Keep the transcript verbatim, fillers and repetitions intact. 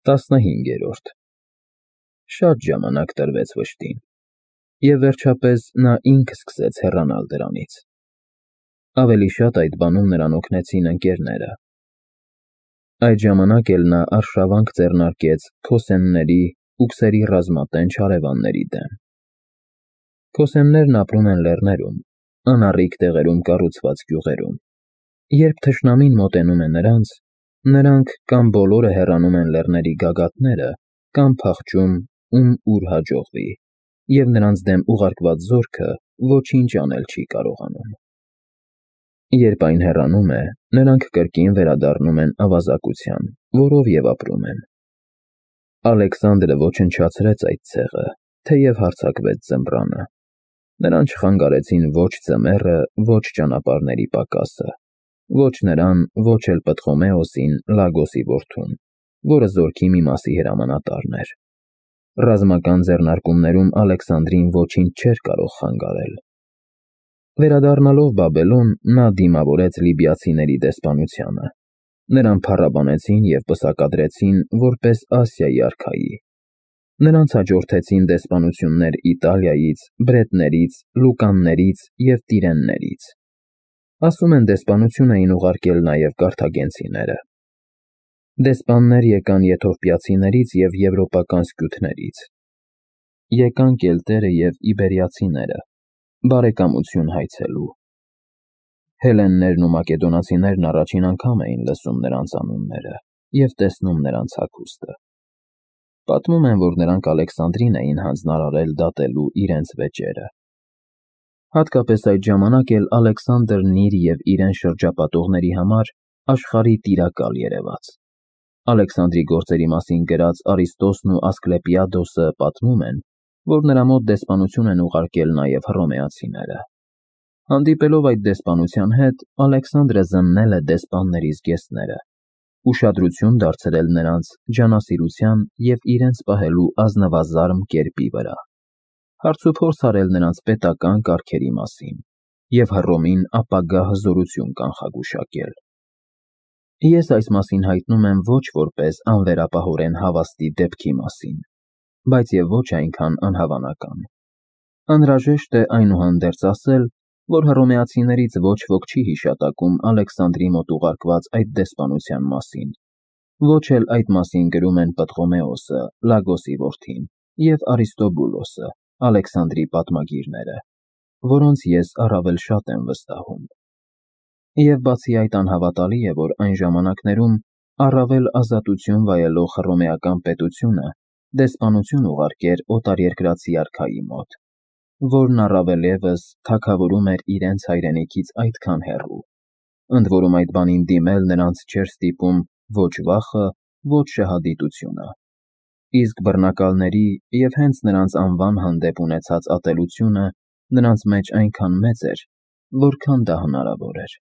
Տասնհինգերորդ Շատ ժամանակ տրվեց վշտին, և վերջապես նա ինքը սկսեց հեռանալ դրանից. ավելի շատ այդ բանում նրան օգնեցին ընկերները. այդ ժամանակ էլ նա արշավանք ձեռնարկեց քոսենների ու քսերի ռազմատենչ հարևանների դեմ։ Քոսեններն ապրում են լեռներում, անառիկ տեղերում կառուցված գյուղերում. երբ թշնամին մոտենում է նրանց, նրանք կամ բոլորը հեռանում են լեռների գագաթները, կամ փախչում, ում ուր հաջողվի, և նրանց դեմ ուղարկված զորքը ոչինչ անել չի կարողանում։ Երբ այն հեռանում է, նրանք կրկին վերադառնում են ավազակության, որով և ապրում են։ Ալեքսանդրը ոչնչացրեց այդ ցեղը, թեև հարձակվեց ձմռանը. նրան չխանգարեցին ոչ ձմեռը, ոչ ճանապարհների պակասը, ոչ նրան, ոչ էլ Պտղոմեոսին, Լագոսի որդուն, որը զորքի մի մասի հրամանատարն էր։ Ռազմական ձեռնարկումներում Ալեքսանդրին ոչինչ չէր կարող խանգարել։ Վերադառնալով Բաբելոն, նա դիմավորեց լիբիացիների դեսպանությանը։ Նրան փառաբանեցին և պսակադրեցին որպես Ասիայի արքայի։ Նրանց հաջորդեցին դեսպանություններ Իտալիայից, Բրետներից, Լուկաններից և Տիրեններից։ Ասում են, դեսպանություն էին ուղարկել նաև կարթագենցիները։ Դեսպաններ եկան եթովպիացիներից և եվրոպական սկյութներից։ Եկան կելտերը և իբերիացիները, բարեկամություն հայցելու։ Հելլեններն ու մակեդոնացիներն առաջին անգամ էին լսում նրանց անունները և տեսնում նրանց հագուստը։ Պատմում են, որ նրանք Ալեքսանդրին էին հանձնարարել դատելու իրենց վեճերը։ Հատկապես այդ ժամանակ էլ Ալեքսանդրն իր և իրեն շրջապատողների համար աշխարհի տիրակալ երևաց։ Ալեքսանդրի գործերի մասին գրած Արիստոսն ու Ասկլեպիադոսը պատմում են, որ նրա մոտ դեսպանություն են ուղարկել նաև հռոմեացիները։ Հանդիպելով այդ դեսպանության հետ, Ալեքսանդրը զննել է դեսպանների զգեստները, ուշադրություն դարձրել նրանց ջանասիրության և իրենց պահելու ազնվազարմ կերպի վրա, հարցուփորձ արել նրանց պետական կարգերի մասին և Հռոմին ապագա հզորություն կանխագուշակել։ Ես այս մասին հայտնում եմ ոչ որպես անվերապահորեն հավաստի դեպքի մասին, բայց և ոչ այնքան անհավանական։ Անհրաժեշտ է այնուհանդերձ ասել, որ հռոմեացիներից ոչ ոք չի հիշատակում Ալեքսանդրի մոտ ուղարկված այդ դեսպանության մասին, ոչ էլ այդ մասին գրում են Պտղոմեոսը, Լագոսի որդին, և Արիստոբուլոսը, Ալեքսանդրի պատմագիրները, որոնց ես առավել շատ եմ վստահում։ Եվ բացի այդ անհավատալի է, որ այն ժամանակներում առավել ազատություն վայելող հռոմեական պետությունը դեսպանություն ուղարկեր օտարերկրացի արքայի մոտ, որն առավել ևս թագավորում էր իրենց հայրենիքից այդքան հեռու, ընդ որում այդ բանին դիմել նրանց չէր ստիպում ոչ վախը, ոչ շահադիտությունը։ Իսկ բռնակալների և հենց նրանց անվան հանդեպ ունեցած ատելությունը նրանց մեջ այնքան մեծ էր, որքան դա հնարավոր էր։